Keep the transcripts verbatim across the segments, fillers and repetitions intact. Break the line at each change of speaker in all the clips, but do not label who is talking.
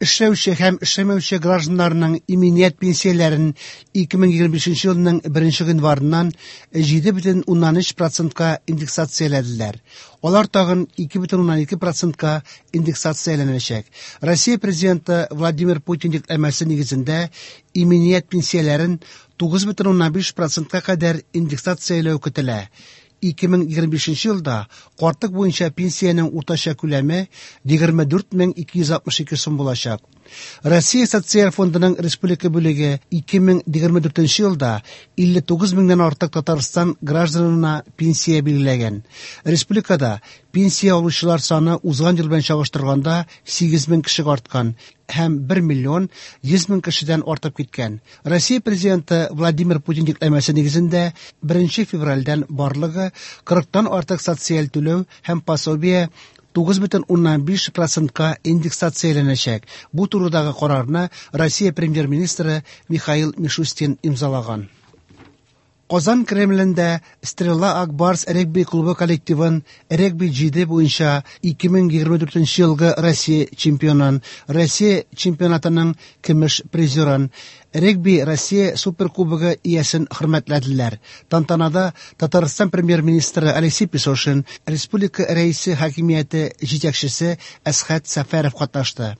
Эшләүче һәм эшләмәүче гражданнарның иминият пенсияләрен ике мең егерме бишенче елның беренче гыйнварыннан җиде бөтен уннан өч процентка индексацияләделәр. Алар тагын ике бөтен уннан ике процентка индексацияләнәчәк. Россия президенты Владимир Путин йөкләмәсе нигезендә иминият пенсияләрен тугыз бөтен уннан биш процентка кадәр индексацияләү көтелә. ике мең егерме бишенче елда картлык буенча пенсиянең уртача күләме егерме дүрт мең ике йөз алтмыш ике сум булачак. Россия Социаль фондының республика бүлеге ике мең егерме дүртенче елда илле тугыз меңнән артык Татарстан гражданына пенсия билгеләгән. Республикада пенсия алучылар саны узган ел белән чагыштырганда сигез мең кешегә арткан һәм бер миллион йөз мең кешедән артып киткән. Россия президенты Владимир Путин йөкләмәсе нигезендә беренче февральдән барлыгы кырыктан артык социаль түләү һәм пособие тугыз бөтен уннан биш процентка индексацияләнәчәк. Бу турыдагы карарны Россия премьер-министры Михаил Мишустин имзалаган. Казан Кремлендә Стрела Акбарс регби клубы коллективын регби җиде буенча ике мең егерме дүртенче елгы Россия чемпионын, Россия чемпионатының көмеш призерын, регби Россия суперкубогы иясен хөрмәтләделәр. Тантанада Татарстан премьер-министры Алексей Песошин, республика рәисе хакимияте җитәкчесе Әсхәт Сәфәров катнашты.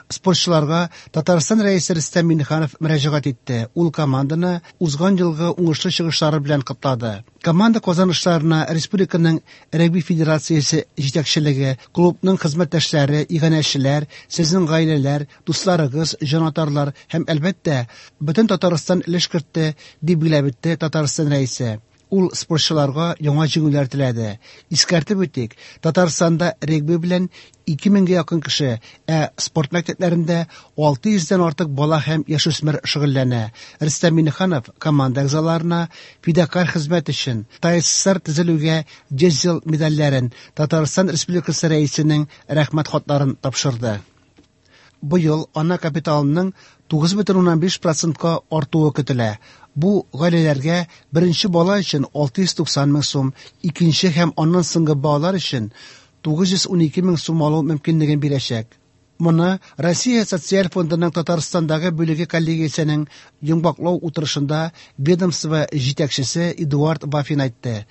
Спортчыларга Татарстан рәисе Рөстәм Миңнеханов мөрәҗәгать итте. Ул команданы узган елгы уңышлы чыгышлары белән котлады. Команда казанышларына республиканың регби федерациясе җитәкчелеге, клубның хезмәттәшләре, иганәчеләр, сезнең гаиләләр, дусларыгыз, җанатарлар һәм әлбәттә бөтен Татарстан өлеш кертте, дип билгеләп үтте Татарстан рәисе. Ул спортчыларга яңа җиңүләр теләде. Искәртеп үтик, Татарстанда регби белән ике меңгә якын кеше, ә спорт мәктәпләрендә алты йөздән артык бала һәм яшүсмер шөгыльләнә. Рөстәм Миңнеханов команда әгъзаларына фидакарь хезмәт өчен ТАССР төзелүгә йөз ел медальләрен, Татарстан Республикасы рәисенең рәхмәт хатларын тапшырды. Быел ана капиталының тугыз бөтен уннан биш процентка артуы көтелә. Бу гаиләләргә беренче бала өчен алты йөз туксан мең сум, икенче һәм аннан соңгы балалар өчен тугыз йөз унике мең сум алу мөмкинлеген бирәчәк. Моны Россия Социаль фондының Татарстандагы бүлеге коллегиясенең йомгаклау утырышында ведомство җитәкчесе Эдуард Вафин әйтте.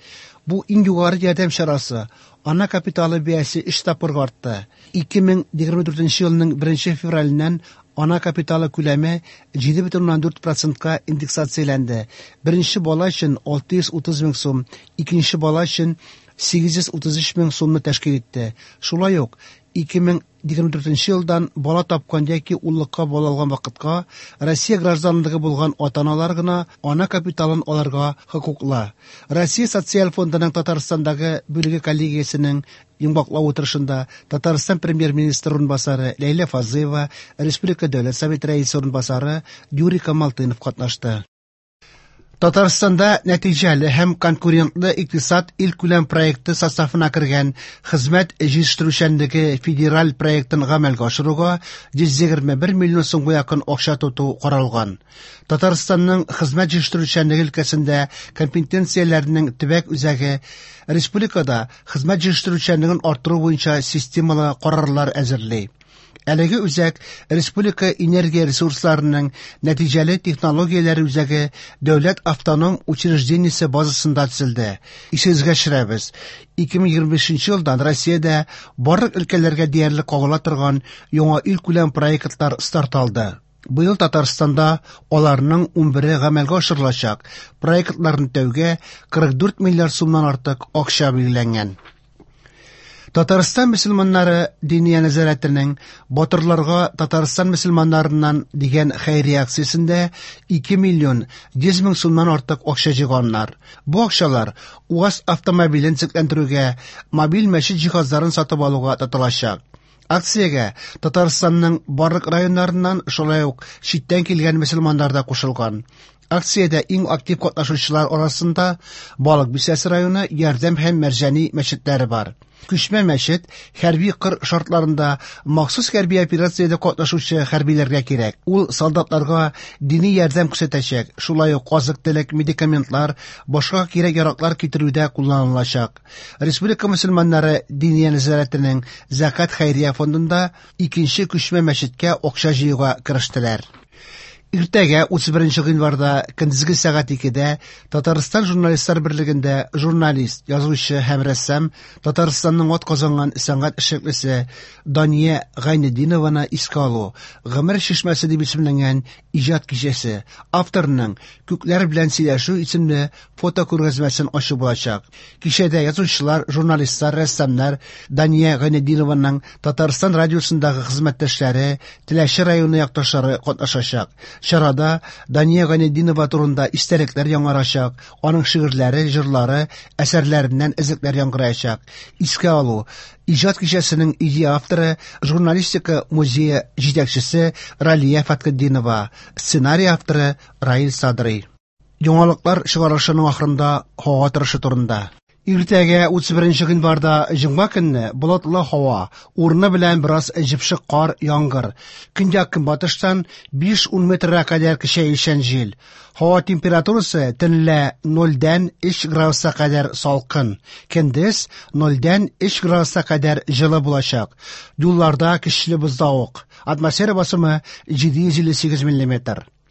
Бу иң югары ярдәм чарасы. Ана капиталы бәясе өч тапкырга артты. Ике мең егерме дүртенче елның беренче февраленнән ана капиталы күләме җиде бөтен уннан дүрт процентка индексацияләнде. Беренче бала өчен алты йөз утыз мең сум, икенче бала өчен сигез йөз утыз өч мең сумны тәшкил итте. Шулай ук ике мең егерме дүртенче елдан бала тапкан яки уллыкка бала алган вакытка Россия гражданлыгы булган ата-аналар гына ана капиталын алырга хокуклы. Россия Социаль фондының Татарстандагы бүлеге коллегиясенең йомгаклау утырышында Татарстан премьер-министры урынбасары Ләйлә Фазлыева, Республика Дәүләт Советы рәисе урынбасары Юрий Камалтынов катнашты. Татарстанда нәтиҗәле һәм конкурентлы икътисад илкүләм проекты составына кергән хезмәт җитештерүчәнлеге федераль проектын гамәлгә ашыруга йөз егерме бер миллион сумга якын акча тоту каралган. Татарстанның хезмәт җитештерүчәнлеге өлкәсендә компетенцияләрнең төбәк үзәге республикада хезмәт җитештерүчәнлеген арттыру буенча системалы карарлар әзерли. Әлеге үзәк Республика энергия ресурсларының нәтиҗәле технологияләре үзәге дәүләт автоном учреждениесе базасында төзелде. Исегезгә төшерәбез. ике мең егерме бишенче елдан Россиядә барлык өлкәләргә диярлек кагыла торган яңа илкүләм проектлар старт алды. Быел Татарстанда аларның унбере гамәлгә ашырылачак. Проектларны тәүгә кырык дүрт миллиард сумнан артык акча билгеләнгән. Татарстан мөселманнары Диния нәзарәтенең Батырларга Татарстан мөселманнарыннан дигән хәйрия акциясендә ике миллион йөз мең сумнан артык акча җыйганнар. Бу акчалар УАЗ автомобилен төзекләндерүгә, мобиль мәчет җиһазларын сатып алуга тотылачак. Акциягә Татарстанның барлык районнарыннан шулай ук читтән килгән мөселманнар да кушылган. Акциядә иң актив катнашучылар арасында Балык Бистәсе районы Ярдәм һәм Мәрҗани мәчетләре бар. Күчмә мәчет хәрби кыр шартларында махсус хәрби операциядә катнашучы хәрбиләргә кирәк. Ул солдатларга дини ярдәм күрсәтәчәк, шулай ук азык-төлек, медикаментлар, башка кирәк-яраклар китерүдә кулланылачак. Республика мөселманнары Диния нәзарәтенең Зәкят хәйрия фондында икенче күчмә мәчеткә акча җыюга керештеләр. Иртәгә утыз беренче гыйнварда көндезге сәгать икедә Татарстан журналистлар берлегендә журналист, язучы һәм рәссам, Татарстанның атказанган сәнгать эшлеклесе Дания Гайнетдинованы искә алу «Гомер чишмәсе» дип исемләнгән иҗат кичәсе, авторның «Күкләр белән сөйләшү» исемле фотокүргәзмәсен ачу булачак. Кичәдә язучылар, журналистлар, рәссамнар, Дания Гайнетдинованың Татарстан радиосындагы хезмәттәшләре, Теләче районы якташлары катнашачак. Чарада Дания Гайнетдинова турында истәлекләр яңарачак, аның шигырьләре, җырлары, әсәрләреннән өзекләр яңгыраячак. Искә алу иҗат кичәсенең идея авторы, журналистика музее җитәкчесе Ралия Фәтхетдинова, сценарий авторы Раил Садрый. Яңалыклар чыгарылышының ахырында һава торышы турында. Иртәгә утыз беренче гыйнварда җомга көнне болытлы һава, урыны белән бераз җепшек кар, яңгыр. Көньяк-көнбатыштан биш-ун метрга кадәр көчәючән җил. Һава температурасы төнлә нольдән өч градуска кадәр салкын, көндез нольдән өч градуска кадәр җылы булачак. Юлларда көчле боздавык. Атмосфера басымы җиде йөз илле сигез миллиметр.